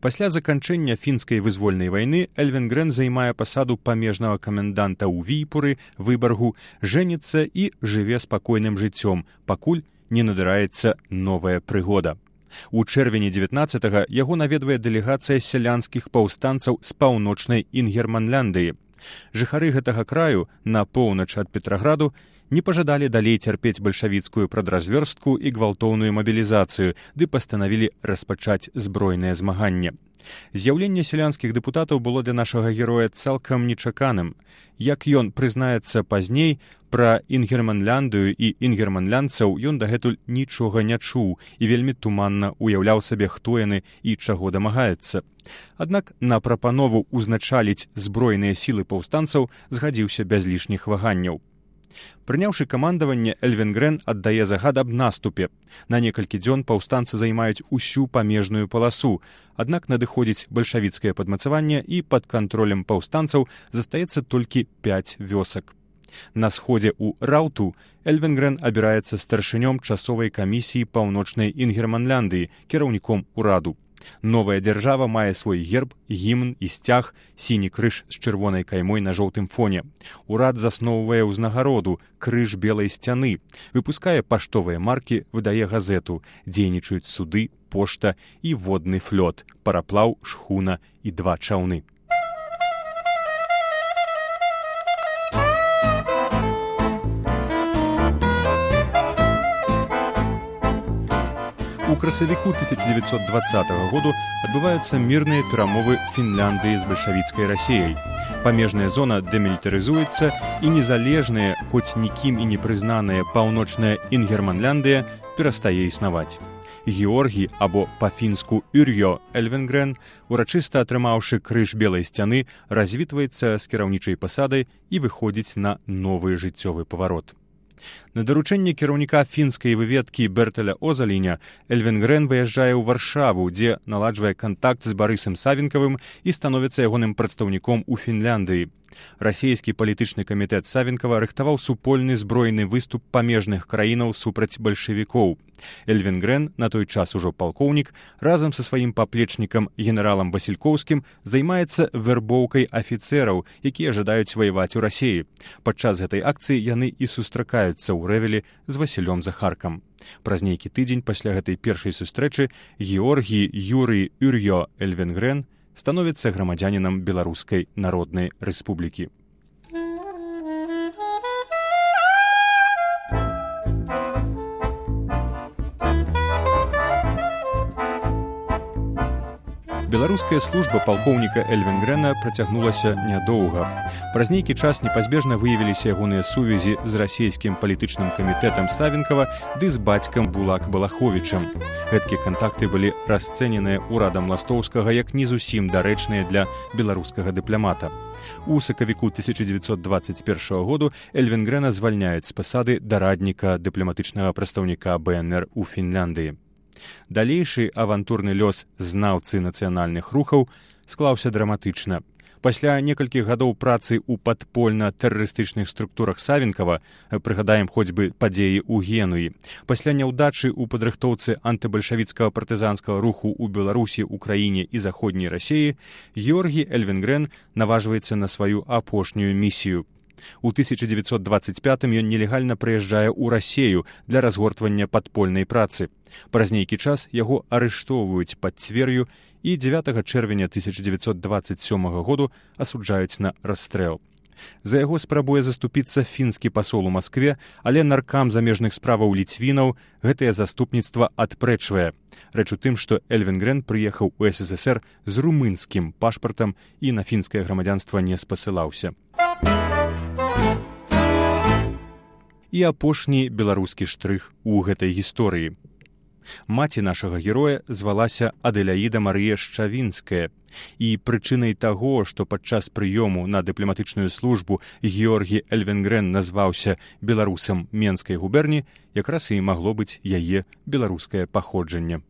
Пасля заканчэння фінскай вызвольнай вайны Эльвенгрен займае пасаду памежнага каменданта ў Війпуры, Выбаргу, жэніцца і жыве спакойным жыццём, пакуль не надараецца новая прыгода. У чэрвені 19-го яго наведвае дэлегацыя сялянскіх паўстанцаў з паўночнай Інгерманляндыі. Жыхары гэтага краю на поўнач ад Петраграду не пажадалі далей цярпець бальшавіцкую прадразвёрстку і гвалтоўную мабілізацыю, ды пастанавілі распачаць збройнае змаганне. З'яўленне сялянскіх дэпутатаў было для нашага героя цалкам нечаканым. Як ён прызнаецца пазней, пра Інгерманляндыю і інгерманлянцаў ён дагэтуль нічога не чуў і вельмі туманна уяўляў сабе, хто яны і чаго дамагаюцца. Аднак на прапанову ўзначаліць збройныя сілы паўстанцаў згадзіўся без лішніх ваганняў. Прыняўшы камандаванне, Эльвенгрен аддае загад аб наступе. На некалькі дзён паўстанцы займаюць усю памежную паласу, аднак надыходзіць бальшавіцкае падмацаванне і пад кантролем паўстанцаў застаецца толькі 5 вёсак. На сходзе ў Раўту Эльвенгрен абіраецца старшынём часовай камісіі паўночнай Інгерманляндыі, кіраўніком ураду. Новая дзяржава мае свой герб, гімн і сцяг, сіні крыж з чырвонай каймой на жоўтым фоне. Урад засноўвае ўзнагароду, крыж белай сцяны, выпускае паштовыя маркі, выдае газету, дзейнічаюць суды, пошта і водны флот, параплаў, шхуна і 2 чаўны. У красавіку 1920 году адбываюцца мірныя перамовы Фінляндыі з бальшавіцкай Расіяй. Памежная зона дэмілітарызуецца і незалежная, хоць нікім і не прызнаная паўночная Інгерманляндыя перастае існаваць. Георгій, або па-фінску Yrjö Эльвенгрен, урачыста атрымаўшы крыж белай сцяны, развітваецца з кіраўнічай пасадай і выходзіць на новы жыццёвы паварот. На даручэнне кіраўніка фінскай выведкі Бертеля Озаліня Эльвенгрен выязджае ў Варшаву, дзе наладжвае кантакт з Барысам Савенкавым і становіцца ягоным прадстаўніком у Фінляндыі. Расійскі палітычны камітэт Савенкава рыхтаваў супольны збройны выступ памежных краінаў супраць бальшавікоў. Эльвенгрен, на той час ужо палкоўнік, разам са сваім паплечнікам генералам Васількоўскім займаецца вэрбоўкай афіцэраў, якія жадаюць ваяваць у Расіі. Падчас гэтай акцыі яны і сустракаюцца ў Рэвелі з Васілём Захаркам. Праз нейкі тыдзень пасля гэтай першай сустрэчы Георгій Юрый Yrjö Эльвенгрен становіцца грамадзянінам Беларускай Народнай Рэспублікі. Беларуская служба палкоўніка Эльвенгрена працягнулася нядоўга. Праз нейкі час непазбежна выявіліся ягоныя сувязі з расійскім палітычным камітэтам Савенкава ды з бацькам Булак Балаховічам. Гэткія кантакты былі расцэненыя урадам Ластоўскага як не зусім дарэчныя для беларускага дыпламата. У сакавіку 1921 году Эльвенгрена звальняюць з пасады дарадніка дыпламатычнага прадстаўніка БНР у Фінляндыі. Далейшы авантурны лёс знаўцы нацыянальных рухаў склаўся драматычна. Пасля некалькіх гадоў працы ў падпольна-тэрарыстычных структурах Савенкава, прыгадаем хоць бы падзеі ў Генуі, пасля няўдачы ў падрыхтоўцы антыбальшавіцкага партызанскага руху ў Беларусі, Украіне і заходняй Расіі, Георгій Эльвенгрен наважваецца на сваю апошнюю місію. У 1925 ён нелегальна прыязджае ў Расею для разгортвання падпольнай працы. Праз нейкі час яго арыштоўваюць пад Цвер'ю і 9 чэрвеня 1927 году асуджаюць на расстрэл. За яго спрабуе заступіцца фінскі пасол у Маскве, але наркам замежных справаў ліцвінаў гэтае заступніцтва адпрэчвае. Рэч у тым, што Эльвенгрен прыехаў у СССР з румынскім пашпартам і на фінскае грамадзянства не спасылаўся. І апошні беларускі штрых у гэтай гісторыі. Маці нашага героя звалася Адэляіда Марыя Шчавінская. І прычынай таго, што падчас прыёму на дыпламатычную службу Георгій Эльвенгрен назваўся беларусам Менскай губерні, якраз і магло быць яе беларускае паходжанне.